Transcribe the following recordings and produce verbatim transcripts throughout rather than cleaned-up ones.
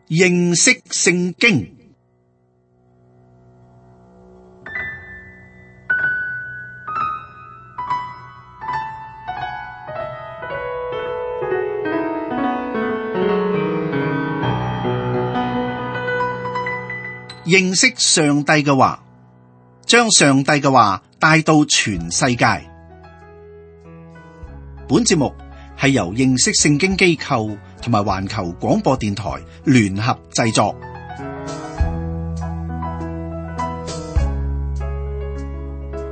認識聖經。認識上帝嘅話，將上帝嘅話帶到全世界。本節目係由認識聖經機構同埋環球廣播電台聯合製作。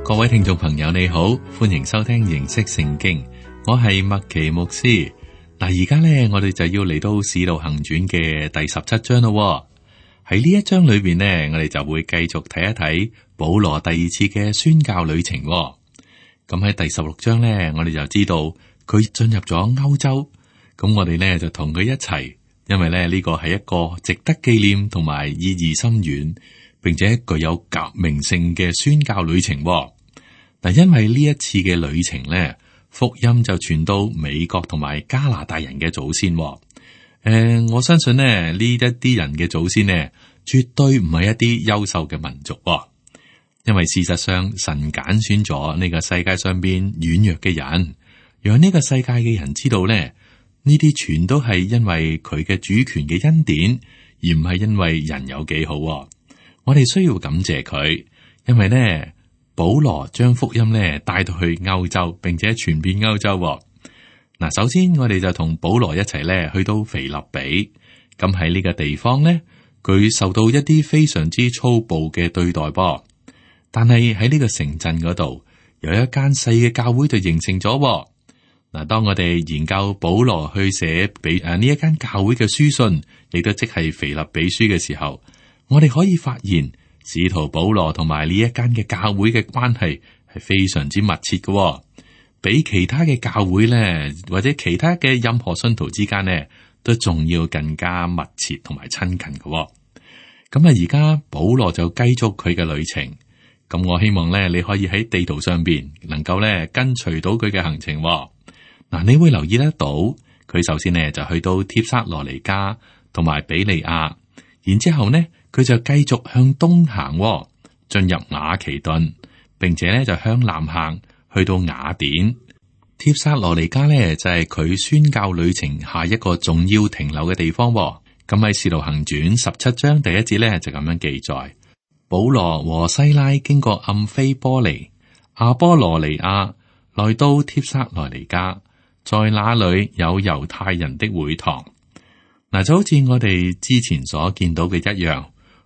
各位聽眾朋友你好，歡迎收聽認識聖經，我係麥奇牧師。嗱，而家咧我哋就要嚟到使徒行傳嘅第十七章咯。喺呢一章裏邊呢，我哋就會繼續睇一睇保羅第二次嘅宣教旅程。咁喺第十六章呢，我哋就知道佢進入咗歐洲。咁我哋呢就同佢一齊，因為咧呢個係一個值得紀念同埋意義深遠，並且具有革命性嘅宣教旅程。嗱，因為呢一次嘅旅程呢，福音就傳到美國同埋加拿大人嘅祖先。誒、呃，我相信呢呢一啲人嘅祖先呢，絕對唔係一啲優秀嘅民族。因為事實上，神揀選咗呢個世界上邊軟弱嘅人，讓呢個世界嘅人知道呢，呢啲全都係因為佢嘅主權嘅恩典，而唔係因為人有幾好。我哋需要感謝佢，因為呢保羅將福音呢帶到去歐洲，並且傳遍歐洲。嗱，首先我哋就同保羅一齊咧去到腓立比，咁喺呢個地方咧，佢受到一啲非常之粗暴嘅對待噃。但係喺呢個城鎮嗰度，有一間細嘅教會就形成咗。嗱，當我哋研究保羅去寫俾誒呢一間教會嘅書信，亦都即係腓立比書嘅時候，我哋可以發現使徒保羅同埋呢一間嘅教會嘅關係係非常之密切嘅。比其他嘅教會咧，或者其他嘅任何信徒之間咧，都仲要更加密切同埋親近嘅。咁啊，而家保羅就繼續佢嘅旅程。咁我希望咧，你可以喺地圖上邊能夠咧跟隨到佢嘅行程。嗱，你會留意得到，佢首先呢就去到帖撒羅尼迦同埋比利亞，然之後呢佢就繼續向東行，進入馬其頓，並且咧就向南行。去到雅典，帖撒羅尼迦咧就係佢宣教旅程下一個重要停留嘅地方。咁喺《使徒行傳》十七章第一節咧就咁樣記載：保羅和西拉經過暗非波尼、阿波羅尼亞，來到帖撒羅尼迦，在那裏有猶太人的會堂。嗱，就好似我哋之前所見到嘅一樣，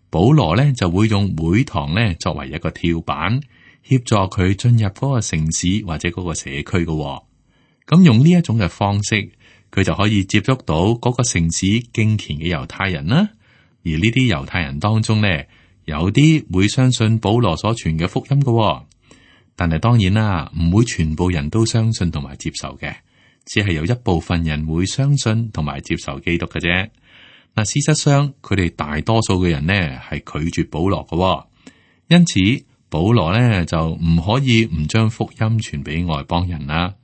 保羅咧就會用會堂咧作為一個跳板，協助佢進入嗰個城市或者嗰個社區嘅。咁用呢一種嘅方式，佢就可以接觸到嗰個城市敬虔嘅猶太人啦。而呢啲猶太人當中呢，有啲會相信保羅所傳嘅福音嘅，但係當然啦，唔會全部人都相信同埋接受嘅，只係有一部分人會相信同埋接受基督嘅啫。嗱，事實上佢哋大多數嘅人呢係拒絕保羅嘅，因此。保羅咧就唔可以唔將福音傳俾外邦人啦。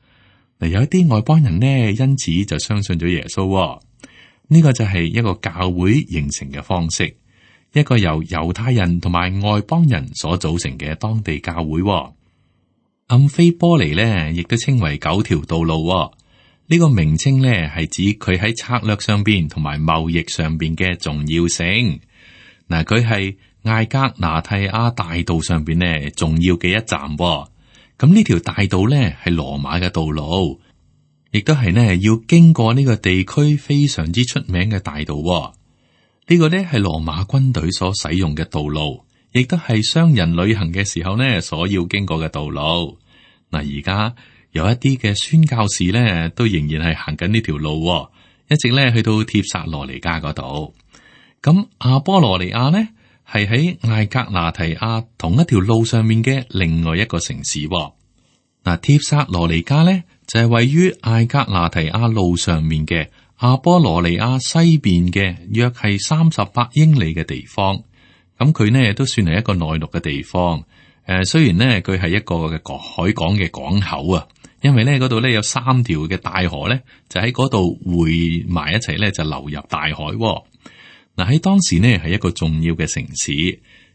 嗱，有一啲外邦人呢，因此就相信咗耶穌。呢個就係一個教會形成嘅方式，一個由猶太人同埋外邦人所組成嘅當地教會。暗非波尼咧，亦都稱為九條道路。呢個名稱咧係指佢喺策略上邊同埋貿易上邊嘅重要性。嗱，佢係艾格拿提亞大道上邊呢重要嘅一站，咁呢條大道呢係羅馬嘅道路，亦都係呢要經過呢個地區非常之出名嘅大道。呢個呢係羅馬軍隊所使用嘅道路，亦都係商人旅行嘅時候呢所要經過嘅道路。嗱，而家有一啲嘅宣教士呢都仍然係行緊呢條路，一直呢去到帖撒羅尼迦嗰度。咁阿波羅尼亞呢？係喺艾格拿提亞同一條路上面嘅另外一個城市。嗱，帖撒羅尼迦咧就係、是、位於艾格拿提亞路上面嘅阿波羅尼亞西邊嘅約係三十八英里嘅地方。咁佢呢都算係一個內陸嘅地方。誒、呃，雖然呢，佢係一個嘅海港嘅港口啊，因為呢嗰度呢有三條嘅大河咧就喺嗰度匯埋一齊咧就流入大海。嗱，喺當時呢係一個重要嘅城市，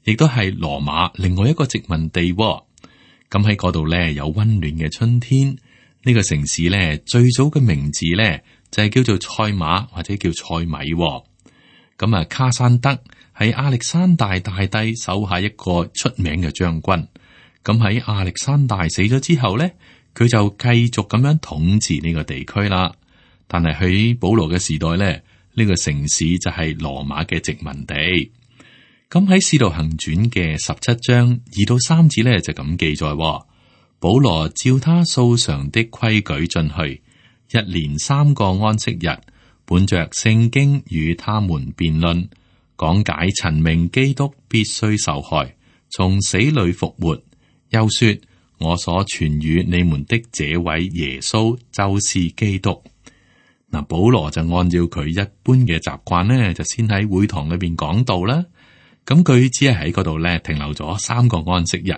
亦都係羅馬另外一個殖民地。咁喺嗰度呢，有溫暖嘅春天。呢個城市呢，最早嘅名字呢，就係叫做賽馬或者叫賽米。咁啊，卡山德係亞歷山大大帝手下一個出名嘅將軍。咁喺亞歷山大死咗之後呢，佢就繼續咁樣統治呢個地區啦。但係喺保羅嘅時代呢，呢個城市就係羅馬嘅殖民地。咁喺《使徒行傳》嘅十七章二到三節呢，就咁記載：保羅照他素常的規矩進去，一連三個安息日，本着聖經與他們辯論，講解陳明基督必須受害，從死裏復活。又說：我所傳與你們的這位耶穌就是基督。嗱，保羅就按照佢一般嘅習慣呢，就先喺會堂裏邊講道啦。咁佢只係喺嗰度咧停留咗三個安息日。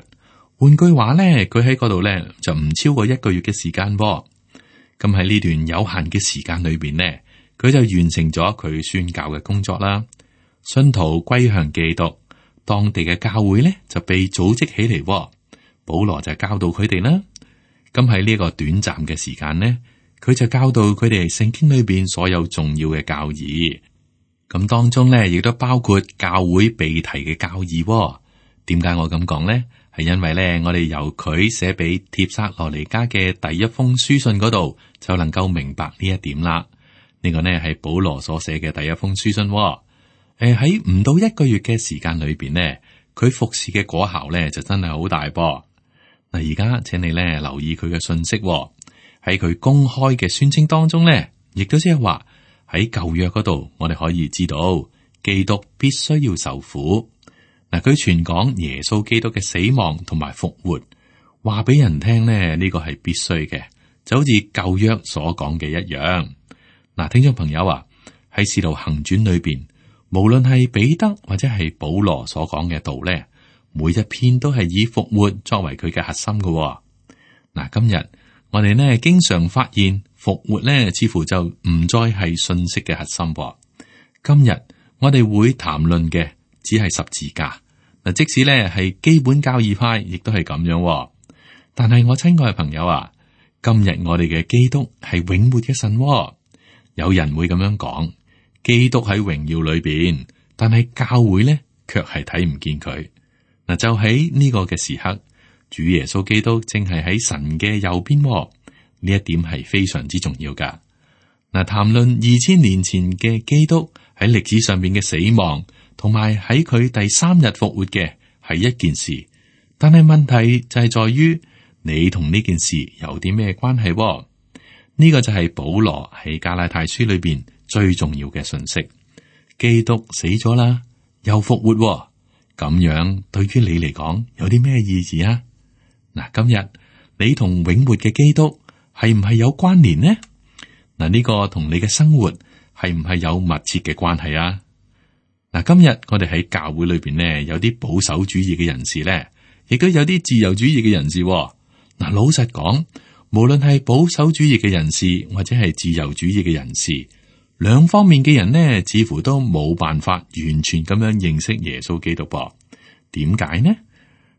換句話咧，佢喺嗰度咧就唔超過一個月嘅時間噃。咁喺呢段有限嘅時間裏邊呢，佢就完成咗佢宣教嘅工作啦。信徒歸向基督，當地嘅教會咧就被組織起嚟。保羅就教導佢哋啦。咁喺呢個短暫嘅時間呢，佢就教導佢哋聖經裏邊所有重要嘅教義。咁當中咧亦都包括教會被提嘅教義。點解我咁講呢？係因為咧，我哋由佢寫俾帖撒羅尼迦嘅第一封書信嗰度就能夠明白呢一點啦。呢個呢係保羅所寫嘅第一封書信。誒，喺唔到一個月嘅時間裏邊呢，佢服侍嘅果效咧就真係好大噃。嗱，而家請你咧留意佢嘅信息。喺佢公開嘅宣稱當中咧，亦都即係話喺舊約嗰度，我哋可以知道基督必須要受苦。嗱，佢傳講耶穌基督嘅死亡同埋復活，話俾人聽咧，呢個係必須嘅，就好似舊約所講嘅一樣。嗱，聽眾朋友啊，喺使徒行傳裏邊，無論係彼得或者係保羅所講嘅道咧，每一篇都係以復活作為佢嘅核心嘅。嗱，今日我哋呢經常發現復活咧，似乎就唔再係信息嘅核心。今日我哋會談論嘅只係十字架。嗱，即使咧係基本教義派，亦都係咁樣。但係我親愛嘅朋友啊，今日我哋嘅基督係永活嘅神。有人會咁樣講，基督喺榮耀裏邊，但係教會咧卻係睇唔見佢。嗱，就喺呢個嘅時刻，主耶穌基督正係喺神嘅右邊。呢一點係非常之重要噶。嗱，談論二千年前嘅基督喺歷史上邊嘅死亡，同埋喺佢第三日復活嘅係一件事，但係問題就係在於你同呢件事有啲咩關係？呢個就係保羅喺加拉太書裏邊最重要嘅信息。基督死咗啦，又復活，咁樣對於你嚟講有啲咩意義啊？嗱，今日你同永活嘅基督係唔係有關聯呢？嗱，呢個同你嘅生活係唔係有密切嘅關係啊？嗱，今日我哋喺教會裏邊呢，有啲保守主義嘅人士咧，亦都有啲自由主義嘅人士。嗱，老實講，無論係保守主義嘅人士或者係自由主義嘅人士，兩方面嘅人呢，似乎都冇辦法完全咁樣認識耶穌基督噃。點解呢？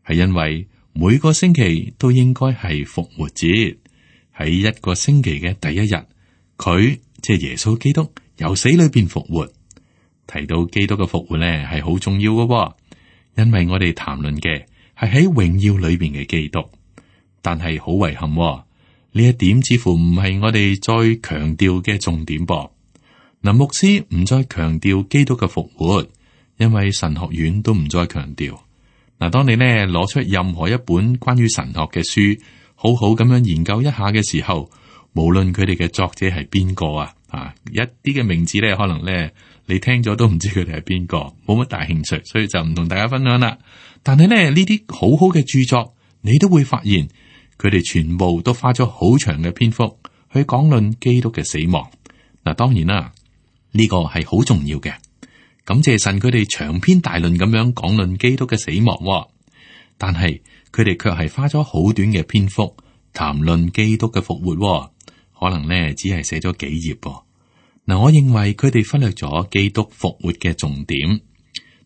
係因為每個星期都應該係復活節，喺一個星期嘅第一日，佢即係耶穌基督由死裏邊復活。提到基督嘅復活咧，係好重要嘅，因為我哋談論嘅係喺榮耀裏邊嘅基督。但係好遺憾，呢一點似乎唔係我哋再強調嘅重點噃。嗱，牧師唔再強調基督嘅復活，因為神學院都唔再強調。嗱，當你咧攞出任何一本關於神學嘅書，好好咁樣研究一下嘅時候，無論佢哋嘅作者係邊個啊，啊，一啲嘅名字咧，可能咧你聽咗都唔知佢哋係邊個，冇乜大興趣，所以就唔同大家分享啦。但係咧呢啲好好嘅著作，你都會發現佢哋全部都花咗好長嘅篇幅去講論基督嘅死亡。嗱，當然啦，呢個係好重要嘅。感謝神，佢哋長篇大論咁樣講論基督嘅死亡，但係佢哋卻係花咗好短嘅篇幅談論基督嘅復活，可能咧只係寫咗幾頁。嗱，我認為佢哋忽略咗基督復活嘅重點。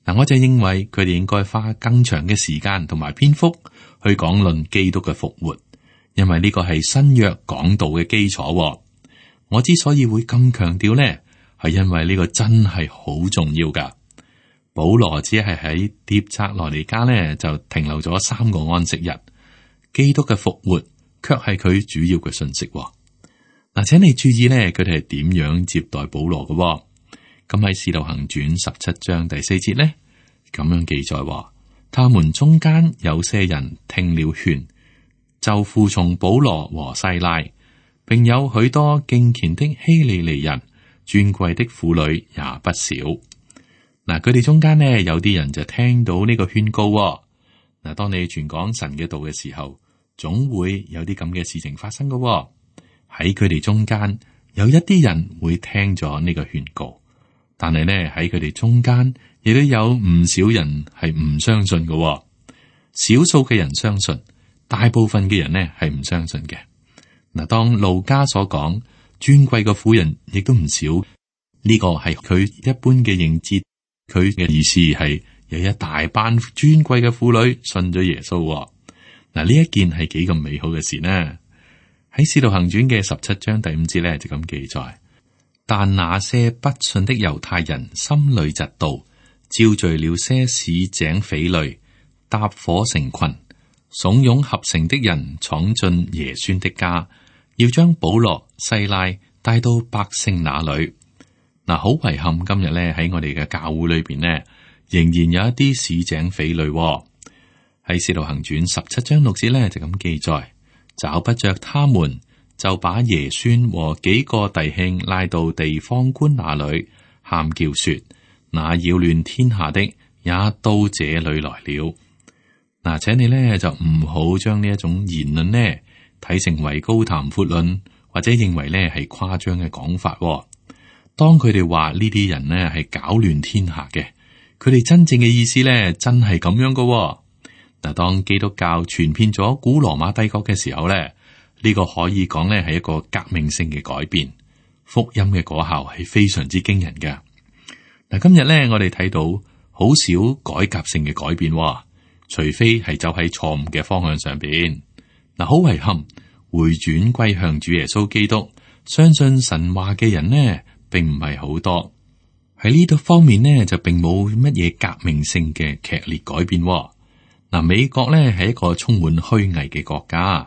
嗱，我就認為佢哋應該花更長嘅時間同埋篇幅去講論基督嘅復活，因為呢個係新約講道嘅基礎。我之所以會咁強調呢，係因為呢個真係好重要噶。保羅只係喺帖撒羅尼迦呢就停留咗三個安息日，基督嘅復活卻係佢主要嘅信息。嗱，請你注意呢，佢哋係點樣接待保羅嘅？咁喺《使徒行傳》十七章第四節呢，咁樣記載話，他們中間有些人聽了勸，就服從保羅和西拉，並有許多敬虔的希利尼人，尊貴的婦女也不少。嗱，佢哋中間呢，有啲人就聽到呢個勸告。嗱，當你傳講神嘅道嘅時候，總會有啲咁嘅事情發生嘅。喺佢哋中間有一啲人會聽咗呢個勸告。但係咧，喺佢哋中間，亦都有唔少人係唔相信嘅。少數嘅人相信，大部分嘅人呢係唔相信嘅。嗱，當路加所講尊貴嘅婦人亦都唔少，呢個係佢一般嘅認知。佢嘅意思係有一大班尊貴嘅婦女信咗耶穌。嗱，呢一件係幾咁美好嘅事呢？喺《使徒行傳》嘅十七章第五節咧就咁記載。但那些不信的猶太人心裏嫉妒，招聚了些市井匪類，搭伙成群，慫恿合成的人闖進耶孫的家，要將保羅、西拉帶到百姓那裏。嗱，好遺憾今日咧喺我哋嘅教會裏邊呢，仍然有一啲市井匪類喎。喺《使徒行傳》十七章六節咧就咁記載，找不着他們，就把耶孫和幾個弟兄拉到地方官那裏，喊叫說：那擾亂天下的也到這裏來了。嗱，請你呢就唔好將呢一種言論呢睇成為高談闊論，或者認為呢係誇張嘅講法。當佢哋話呢啲人呢係搞亂天下嘅，佢哋真正嘅意思呢真係咁樣噶。嗱，當基督教傳遍咗古羅馬帝國嘅時候呢，呢個可以講呢係一個革命性嘅改變，福音嘅果效係非常之驚人嘅。嗱，今日呢，我哋睇到好少改革性嘅改變，除非係走喺錯誤嘅方向上邊。嗱，好遺憾，回轉歸向主耶穌基督，相信神話嘅人呢，並唔係好多。喺呢度方面呢，就並冇乜嘢革命性嘅劇烈改變。嗱，美國呢係一個充滿虛偽嘅國家。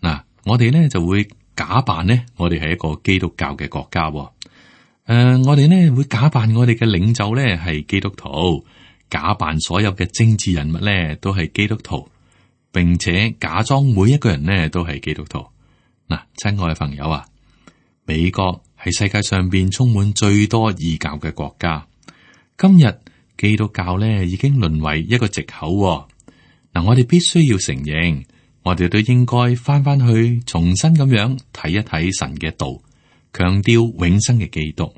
嗱，我哋呢就會假扮呢，我哋係一個基督教嘅國家。誒、呃，我哋呢會假扮我哋嘅領袖呢係基督徒，假扮所有嘅政治人物呢都係基督徒，並且假裝每一個人呢都係基督徒。嗱，親愛嘅朋友啊，美國係世界上邊充滿最多異教嘅國家。今日基督教呢已經淪為一個藉口。嗱，我哋必須要承認，我哋都應該翻翻去重新咁樣睇一睇神嘅道，強調永生嘅基督。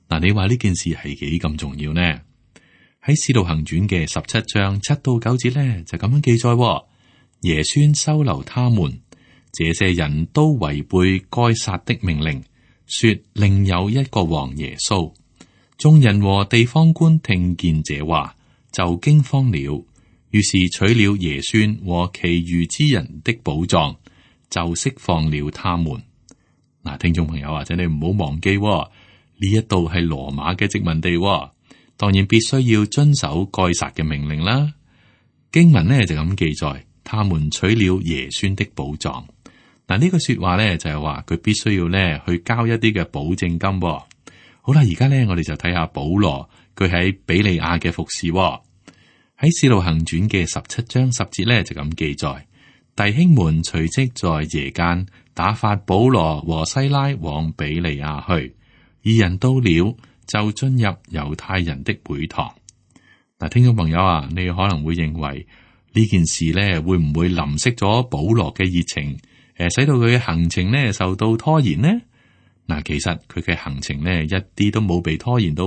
嗱，你話呢件事係幾咁重要呢？喺《使徒行傳》嘅十七章七到九節呢，就咁樣記載：耶孫收留他們，這些人都違背該撒的命令，說另有一個王耶穌。眾人和地方官聽見這話，就驚慌了。於是取了耶孫和其餘之人的寶藏，就釋放了他們。嗱，聽眾朋友或者你唔好忘記，呢一度係羅馬嘅殖民地，當然必須要遵守該撒嘅命令啦。經文呢就咁記載，他們取了耶孫的寶藏。嗱，呢個說話呢就係話佢必須要呢去交一啲嘅保證金。好啦，而家呢我哋就睇下保羅佢喺比利亞嘅服侍。喺《使徒行傳》嘅十七章十節咧就咁記載，弟兄們隨即在夜間打發保羅和西拉往比利亞去，二人到了就進入猶太人的會堂。嗱，聽眾朋友啊，你可能會認為呢件事咧會唔會淋熄咗保羅嘅熱情，誒，使到佢嘅行程咧受到拖延呢？嗱，其實佢嘅行程咧一啲都冇被拖延到。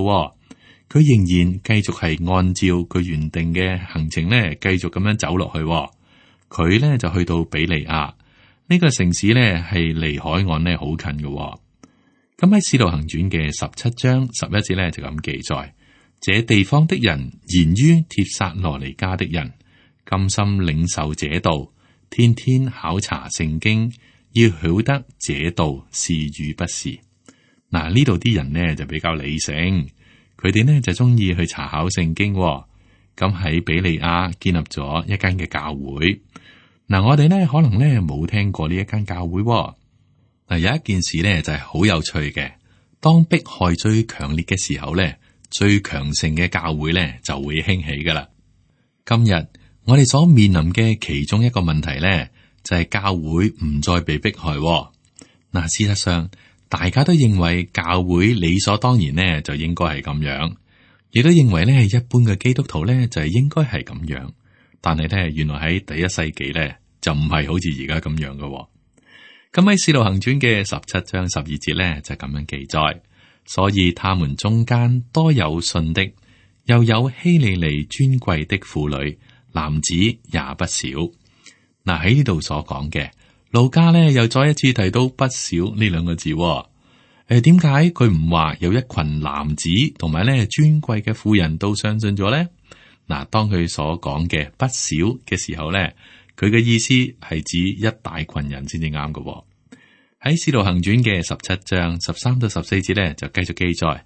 佢仍然繼續係按照佢原定嘅行程咧，繼續咁樣走落去。佢咧就去到比利亞呢個城市咧，係離海岸咧好近嘅。咁喺《使徒行傳》嘅十七章十一節咧就咁記載：這地方的人言於帖撒羅尼迦的人，甘心領受這道，天天考察聖經，要曉得這道是與不是。嗱，呢度啲人呢就比較理性，佢哋呢就中意去查考聖經。咁喺比利亞建立咗一間嘅教會。嗱，我哋呢可能呢冇聽過呢一間教會。嗱，有一件事呢就係好有趣嘅，當迫害最強烈嘅時候呢，最強盛嘅教會呢就會興起噶啦。今日我哋所面臨嘅其中一個問題呢，就係教會唔再被迫害。嗱，事實上大家都認為教會理所當然呢就應該係咁樣。亦都認為咧，一般嘅基督徒咧就係應該係咁樣，但係咧原來喺第一世紀咧就唔係好似而家咁樣嘅。咁喺《使徒行傳》嘅十七章十二節咧就咁樣記載，所以他們中間多有信的，又有希利尼尊貴的婦女，男子也不少。嗱，喺呢度所講嘅路加咧又再一次提到不少呢兩個字。誒，點解佢唔話有一群男子同埋咧尊貴嘅婦人都相信咗咧？嗱，當佢所講嘅不少嘅時候咧，佢嘅意思係指一大群人先至啱嘅。喺《使徒行傳》嘅十七章十三到十四節咧，就繼續記載：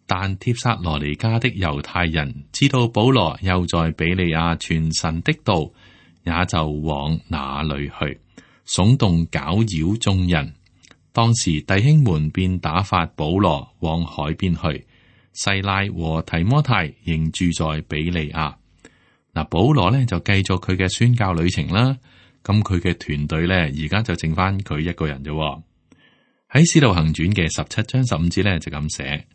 但帖撒羅尼迦的猶太人知道保羅又在比利亞傳神的道，也就往那裏去，聳動攪擾眾人。當時弟兄們便打發保羅往海邊去，西拉和提摩太仍住在比利亞。嗱，保羅呢就繼續佢嘅宣教旅程啦。咁佢嘅團隊呢，而家就剩翻佢一個人啫。喺《使徒行傳》嘅十七章十五節呢，就咁寫：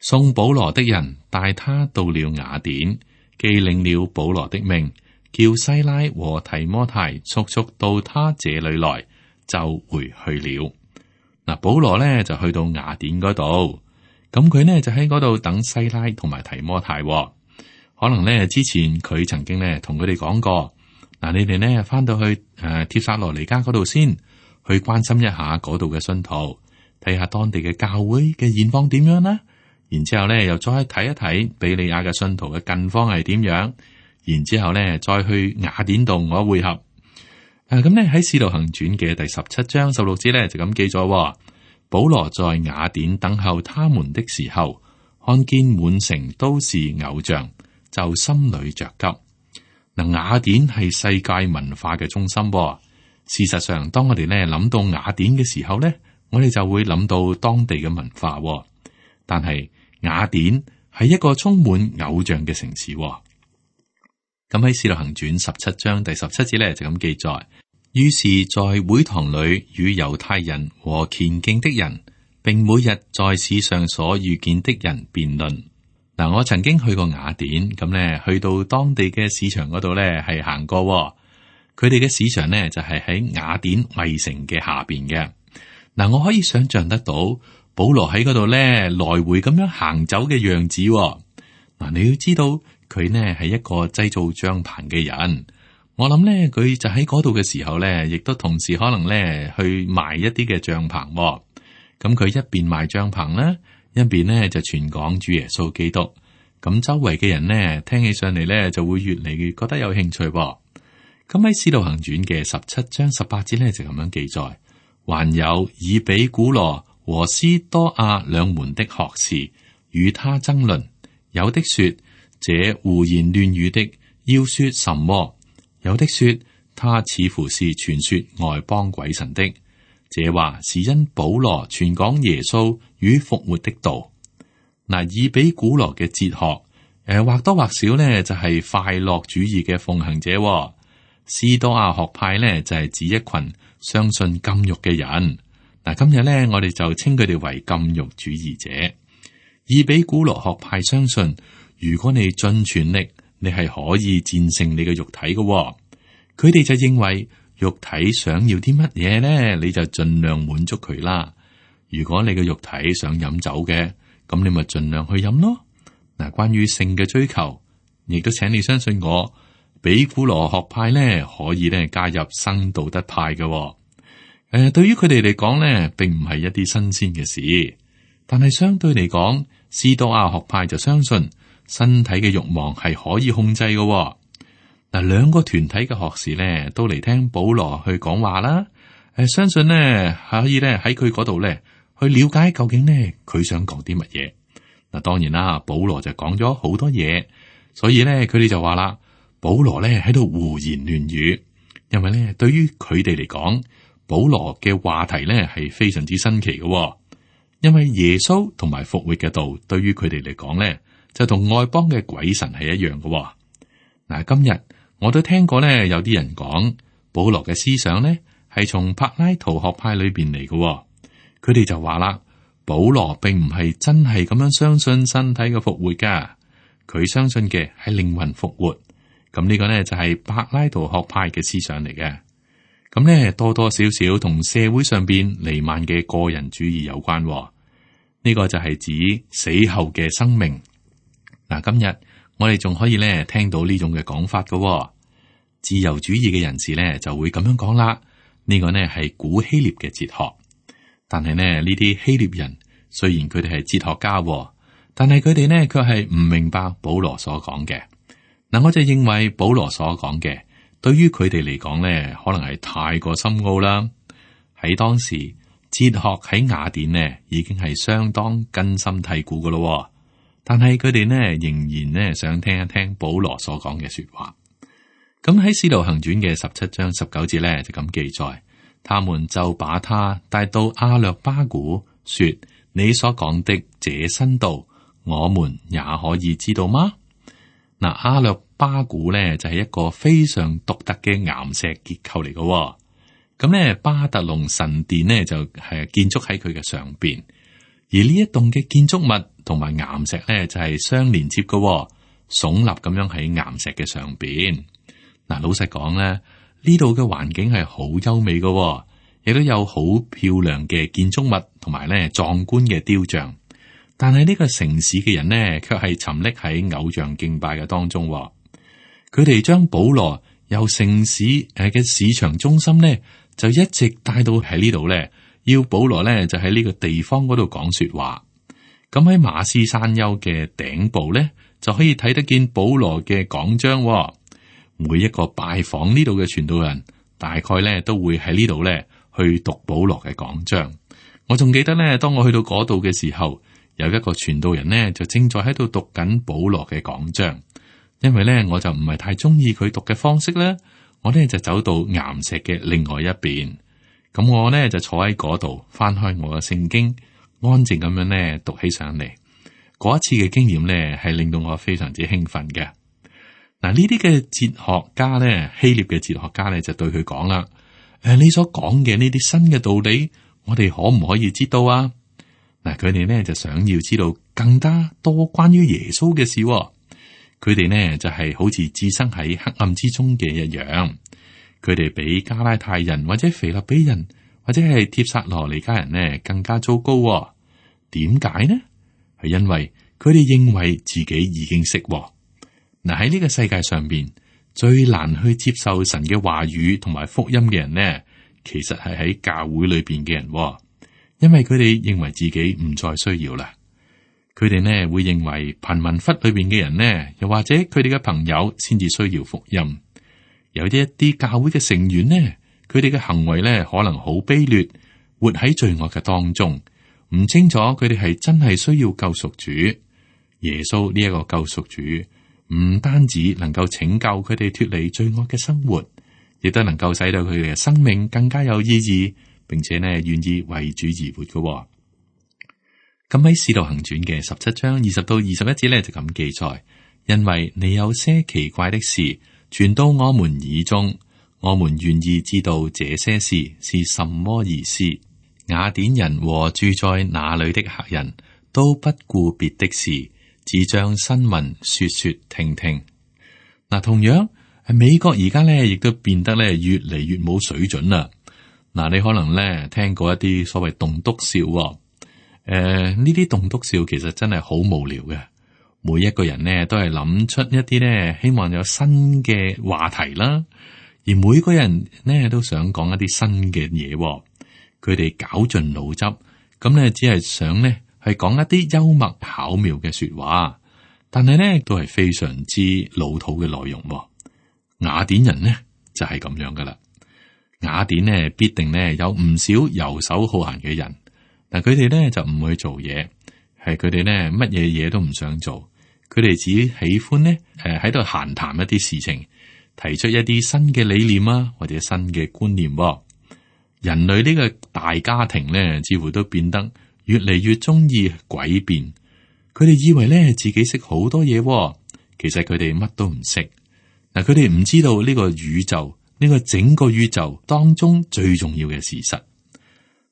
送保羅的人帶他到了雅典，既領了保羅的命，叫西拉和提摩太速速到他這裏來，就回去了。嗱，保羅咧就去到雅典嗰度，咁佢呢就喺嗰度等西拉同埋提摩太。可能咧之前佢曾經咧同佢哋講過，嗱，你哋呢翻到去誒帖撒羅尼迦嗰度先，去關心一下嗰度嘅信徒，睇下當地嘅教會嘅現況點樣啦。然之後咧又再睇一睇比利亞嘅信徒嘅近況係點樣，然之後咧再去雅典度我會合。誒，咁咧喺《使徒行傳》嘅第十七章十六節咧就咁記咗，保羅在雅典等候他們的時候，看見滿城都是偶像，就心裏着急。嗱，雅典係世界文化嘅中心。事實上，當我哋咧諗到雅典嘅時候咧，我哋就會諗到當地嘅文化。但係雅典係一個充滿偶像嘅城市。咁喺《使徒行傳》十七章第十七節咧就咁記載，於是在會堂裏與猶太人和虔敬的人，並每日在市上所遇見的人辯論。嗱，我曾經去過雅典，咁咧去到當地嘅市場嗰度咧係行過，佢哋嘅市場咧就係喺雅典衛城嘅下邊嘅。嗱，我可以想象得到保羅喺嗰度咧來回咁樣行走嘅樣子。嗱，你要知道。佢呢係一個製造帳篷嘅人，我諗呢，佢就喺嗰度嘅時候呢，亦都同時可能呢去賣一啲嘅帳篷。咁佢一邊賣帳篷啦，一邊呢就傳講主耶穌基督。咁周圍嘅人呢，聽起上嚟呢，就會越嚟越覺得有興趣。咁喺《使徒行傳》嘅十七章十八節呢，就咁樣記載，還有以比古羅和斯多亞兩門的學士與他爭論，有的說。這胡言亂語的要說什麼？有的說他似乎是傳說外邦鬼神的。這話是因保羅傳講耶穌與復活的道。嗱，以比古羅嘅哲學，誒、呃、或多或少呢就係、是、快樂主義嘅奉行者。斯多亞學派呢就係、是、指一群相信禁欲嘅人。嗱，今日呢我哋就稱佢哋為禁欲主義者。以比古羅學派相信。如果你盡全力，你係可以戰勝你嘅肉體嘅、哦。佢哋就認為肉體想要啲乜嘢咧，你就盡量滿足佢啦。如果你嘅肉體想飲酒嘅，咁你咪盡量去飲咯。嗱，關於性嘅追求，亦都請你相信我，比古羅學派咧可以咧加入新道德派嘅、哦。誒、呃，對於佢哋嚟講咧，並唔係一啲新鮮嘅事。但係相對嚟講，斯多亞學派就相信身體嘅慾望係可以控制嘅喎。嗱，兩個團體嘅學士咧都嚟聽保羅去講話啦。誒，相信咧可以咧喺佢嗰度咧去了解究竟咧佢想講啲乜嘢。嗱，當然啦，保羅就講咗好多嘢，所以咧佢哋就話啦，保羅咧喺度胡言亂語，因為咧對於佢哋嚟講，保羅嘅話題咧係非常之新奇嘅喎。因為耶穌同埋復活嘅道，對於佢哋嚟講咧，就同外邦嘅鬼神係一樣嘅喎。嗱，今日我都聽過咧，有啲人講保羅嘅思想咧係從柏拉圖學派裏邊嚟嘅喎。佢哋就話啦，保羅並唔係真係咁樣相信身體嘅復活噶，佢相信嘅係靈魂復活。咁呢個咧就係柏拉圖學派嘅思想嚟嘅。咁咧多多少少同社會上邊彌漫嘅個人主義有關喎。呢個就係指死後嘅生命。嗱，今日我哋仲可以咧聽到呢種嘅講法嘅喎。自由主義嘅人士咧就會咁樣講啦。呢個呢係古希臘嘅哲學，但係呢呢啲希臘人雖然佢哋係哲學家喎，但係佢哋呢卻係唔明白保羅所講嘅。嗱，我就認為保羅所講嘅對於佢哋嚟講呢，可能係太過深奧啦。喺當時，哲學喺雅典呢已經係相當根深蒂固噶咯，但係佢哋呢仍然呢想聽一聽保羅所講嘅說話。咁喺《使徒行傳》嘅十七章十九節呢就咁記載，他們就把他帶到亞略巴古，說：你所講的這新道，我們也可以知道嗎？嗱，亞略巴古呢就係一個非常獨特嘅岩石結構嚟嘅。咁咧，巴特龍神殿呢就係建築喺佢嘅上邊，而呢一棟嘅建築物同埋岩石咧就係相連接嘅，聳立咁樣喺岩石嘅上邊。嗱，老實講咧，呢度嘅環境係好優美嘅，亦都有好漂亮嘅建築物同埋咧壯觀嘅雕像。但係呢個城市嘅人呢，卻係沉溺喺偶像敬拜嘅當中。佢哋將保羅由城市誒嘅市場中心呢，就一直帶到喺呢度咧，要保羅咧就喺呢個地方嗰度講說話。咁喺馬斯山丘嘅頂部咧，就可以睇得見保羅嘅講章。每一個拜訪呢度嘅傳道人，大概咧都會喺呢度咧去讀保羅嘅講章。我仲記得咧，當我去到嗰度嘅時候，有一個傳道人呢，就正在喺度讀緊保羅嘅講章。因為咧我就唔係太中意佢讀嘅方式咧。我呢就走到岩石嘅另外一邊，咁我呢就坐喺嗰度，翻開我嘅聖經，安靜咁樣呢讀起上嚟。嗰一次嘅經驗呢係令到我非常之興奮嘅。嗱，呢啲嘅哲學家呢，希臘嘅哲學家呢就對佢講啦：誒，你所講嘅呢啲新嘅道理，我哋可唔可以知道啊？嗱，佢哋呢就想要知道更加多關於耶穌嘅事。佢哋呢就係好似置身喺黑暗之中嘅一樣，佢哋比加拉太人或者腓立比人或者係帖撒羅尼迦人呢更加糟糕。點解呢？係因為佢哋認為自己已經識。嗱，喺呢個世界上邊最難去接受神嘅話語同埋福音嘅人呢，其實係喺教會裏邊嘅人，因為佢哋認為自己唔再需要啦。佢哋呢會認為貧民窟裏邊嘅人呢，又或者佢哋嘅朋友先至需要福音。有啲一啲教會嘅成員呢，佢哋嘅行為呢可能好卑劣，活喺罪惡嘅當中，唔清楚佢哋係真係需要救贖主。耶穌呢一個救贖主，唔單止能夠拯救佢哋脫離罪惡嘅生活，亦都能夠使到佢哋嘅生命更加有意義，並且呢願意為主而活嘅。咁喺《使徒行傳》嘅十七章二十到二十一節咧就咁記載，因為你有些奇怪的事傳到我們耳中，我們願意知道這些事是什麼意思。雅典人和住在那裏的客人都不顧別的事，只將新聞說說聽聽。嗱，同樣美國而家咧亦都變得咧越嚟越冇水準啦。嗱，你可能咧聽過一啲所謂棟篤笑。誒，呢啲棟篤笑其實真係好無聊嘅。每一個人呢都係諗出一啲呢希望有新嘅話題啦，而每個人呢都想講一啲新嘅嘢。佢哋絞盡腦汁，咁呢只係想呢係講一啲幽默巧妙嘅說話，但係呢都係非常之老土嘅內容。雅典人呢就係咁樣噶啦。雅典呢必定呢有唔少游手好閒嘅人，嗱佢哋呢就唔去做嘢，係佢哋呢乜嘢嘢都唔想做，佢哋只喜歡呢誒喺度閒談一啲事情，提出一啲新嘅理念啊或者新嘅觀念。人類呢個大家庭呢，似乎都變得越嚟越中意詭辯。佢哋以為呢自己識好多嘢，其實佢哋乜都唔識。嗱，佢哋唔知道呢個宇宙。呢個整個宇宙當中最重要嘅事實，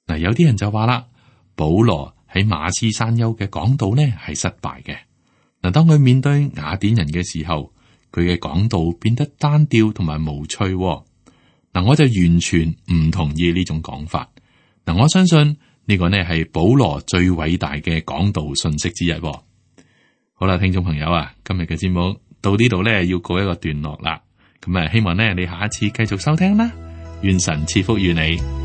嗱，有啲人就話啦，保羅喺馬斯山丘嘅講道呢係失敗嘅。嗱，當佢面對雅典人嘅時候，佢嘅講道變得單調同埋無趣。嗱，我就完全唔同意呢種講法。嗱，我相信呢個呢係保羅最偉大嘅講道信息之一。好啦，聽眾朋友啊，今日嘅節目到呢度呢要告一個段落啦。咁啊，希望咧你下一次繼續收聽啦，願神賜福於你。